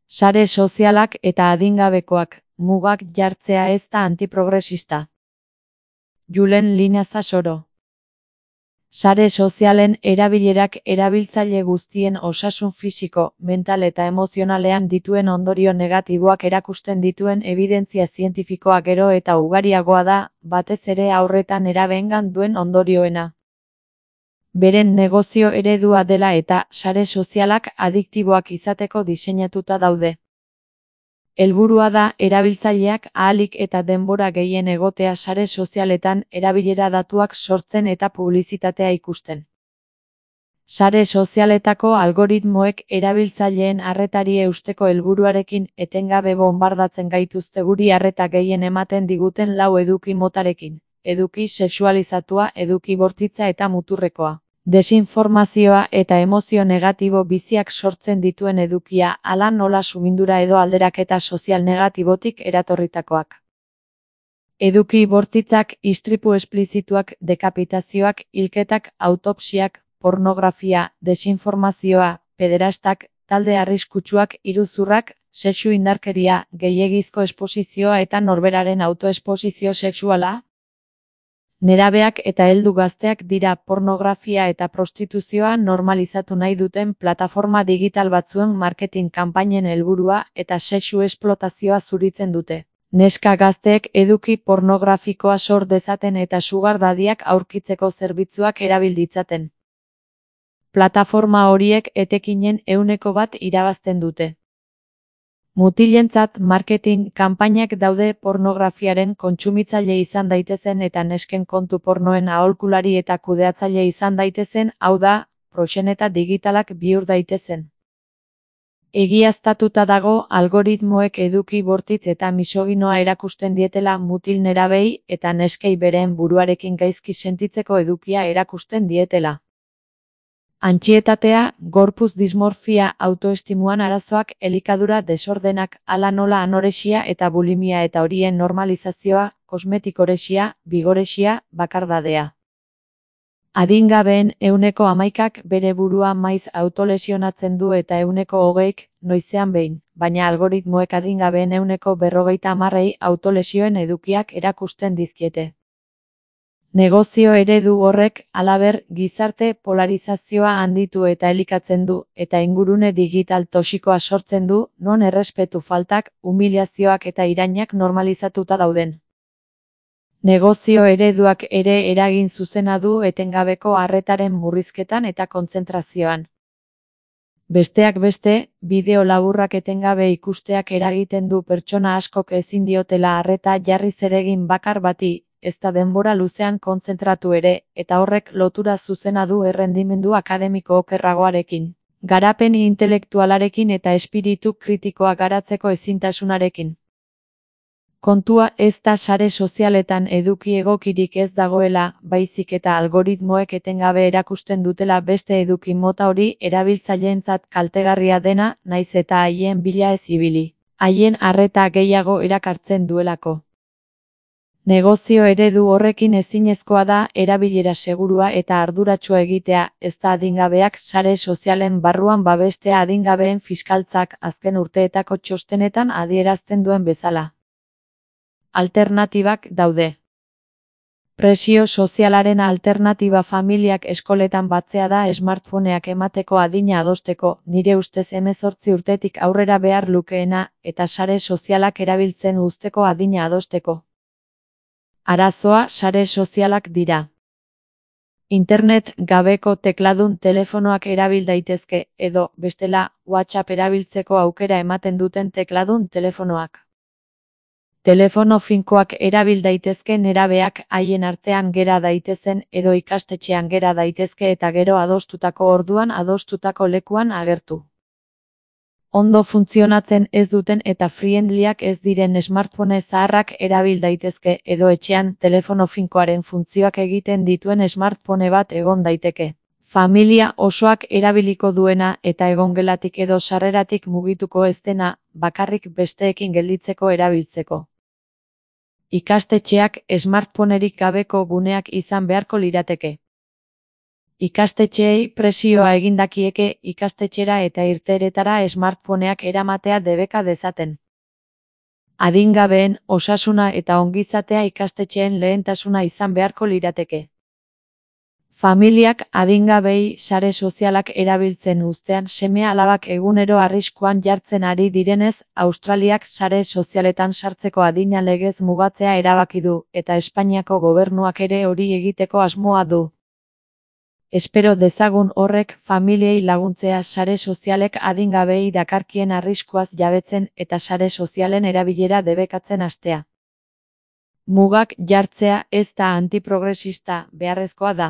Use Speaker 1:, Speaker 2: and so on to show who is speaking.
Speaker 1: Sare sozialak eta adingabekoak, mugak jartzea ez da antiprogresista. Julen Linazasoro. Sare sozialen erabilerak erabiltzaile guztien osasun fisiko, mental eta emozionalean dituen ondorio negatiboak erakusten dituen ebidentzia zientifikoa gero eta ugariagoa da, batez ere haurretan nerabeengan duen ondorioena. Beren negozio eredua dela eta sare sozialak adiktiboak izateko diseinatuta daude. Helburua da erabiltzaileak ahalik eta denbora gehien egotea sare sozialetan erabilera datuak sortzen eta publizitatea ikusten. Sare sozialetako algoritmoek erabiltzaileen arretari eusteko helburuarekin etengabe bonbardatzen gaituzte guri arreta gehien ematen diguten lau eduki motarekin: eduki sexualizatua, eduki bortitza eta muturrekoa. Desinformazioa eta emozio negatibo biziak sortzen dituen edukia, hala nola sumindura edo alderaketa sozial negatibotik eratorritakoak. Eduki bortitzak, istripu esplizituak, dekapitazioak, hilketak, autopsiak, pornografia, desinformazioa, pederastak, talde arriskutsuak, iruzurrak, sexu indarkeria, gehiegizko esposizioa eta norberaren autoesposizio sexuala. Nerabeak eta heldu gazteak dira pornografia eta prostituzioa normalizatu nahi duten plataforma digital batzuen marketing kanpainen helburua eta sexu esplotazioa zuritzen dute. Neska gazteek eduki pornografikoa sor dezaten eta sugar daddyak aurkitzeko zerbitzuak erabil ditzaten. Plataforma horiek etekinen 1% irabazten dute. Mutilentzat marketing kanpainak daude pornografiaren kontsumitzaile izan daitezen eta nesken kontu pornoen aholkulari eta kudeatzaile izan daitezen, hau da, proxeneta digitalak bihur daitezen. Egiaztatuta dago algoritmoek eduki bortitz eta misoginoa erakusten dietela mutil nerabei eta neskei beren buruarekin gaizki sentitzeko edukia erakusten dietela. Antsietatea, gorputz dismorfia, autoestimuan arazoak, elikadura desordenak, hala nola anoresia eta bulimia eta horien normalizazioa, kosmetikoresia, bigoresia, bakardadea. Adingabeen 11%ak bere burua maiz autolesionatzen du eta 20%k noizean behin, baina algoritmoek adingabeen 40%ei autolesioen edukiak erakusten dizkiete. Negozio eredu horrek, halaber, gizarte polarizazioa handitu eta elikatzen du, eta ingurune digital toxikoa sortzen du, non errespetu faltak, umiliazioak eta irainak normalizatuta dauden. Negozio ereduak ere eragin zuzena du etengabeko arretaren murrizketan eta kontzentrazioan. Besteak beste, bideo laburrak etengabe ikusteak eragiten du pertsona askok ezin diotela arreta jarri zeregin bakar bati, ez da denbora luzean kontzentratu ere, eta horrek lotura zuzena du errendimendu akademiko okerragoarekin, garapen intelektualarekin eta espiritu kritikoa garatzeko ezintasunarekin. Kontua ez da sare sozialetan eduki egokirik ez dagoela, baizik eta algoritmoek etengabe erakusten dutela beste eduki mota hori erabiltzaileentzat kaltegarria dena, naiz eta haien bila ez ibili, haien arreta gehiago erakartzen duelako. Negozio eredu horrekin ezinezkoa da erabilera segurua eta arduratsua egitea, ez da adingabeak sare sozialen barruan babestea adingabeen fiskaltzak azken urteetako txostenetan adierazten duen bezala. Alternatibak daude. Presio sozialaren alternatiba familiak eskoletan batzea da smartphoneak emateko adina adosteko, nire ustez 18 urtetik aurrera behar lukeena, eta sare sozialak erabiltzen uzteko adina adosteko. Arazoa sare sozialak dira. Internet gabeko tekladun telefonoak erabil daitezke, edo, bestela, WhatsApp erabiltzeko aukera ematen duten tekladun telefonoak. Telefono finkoak erabil daitezke nerabeak haien artean gera daitezen edo ikastetxean gera daitezke eta gero adostutako orduan adostutako lekuan agertu. Ondo funtzionatzen ez duten eta friendlyak ez diren smartphone zaharrak erabil daitezke edo etxean telefono finkoaren funtzioak egiten dituen smartphone bat egon daiteke. Familia osoak erabiliko duena eta egongelatik edo sarreratik mugituko ez dena, bakarrik besteekin gelditzeko erabiltzeko. Ikastetxeak smartphonerik gabeko guneak izan beharko lirateke. Ikastetxeei presioa egindakieke ikastetxera eta irteeretara smartphoneak eramatea debeka dezaten. Adingabeen osasuna eta ongizatea ikastetxeen lehentasuna izan beharko lirateke. Familiak adingabei sare sozialak erabiltzen uztean seme-alabak egunero arriskuan jartzen ari direnez, Australiak sare sozialetan sartzeko adina legez mugatzea erabaki du, eta Espainiako gobernuak ere hori egiteko asmoa du. Espero dezagun horrek familiei laguntzea sare sozialek adingabei dakarkien arriskuaz jabetzen eta sare sozialen erabilera debekatzen hastea. Mugak jartzea ez da antiprogresista, beharrezkoa da.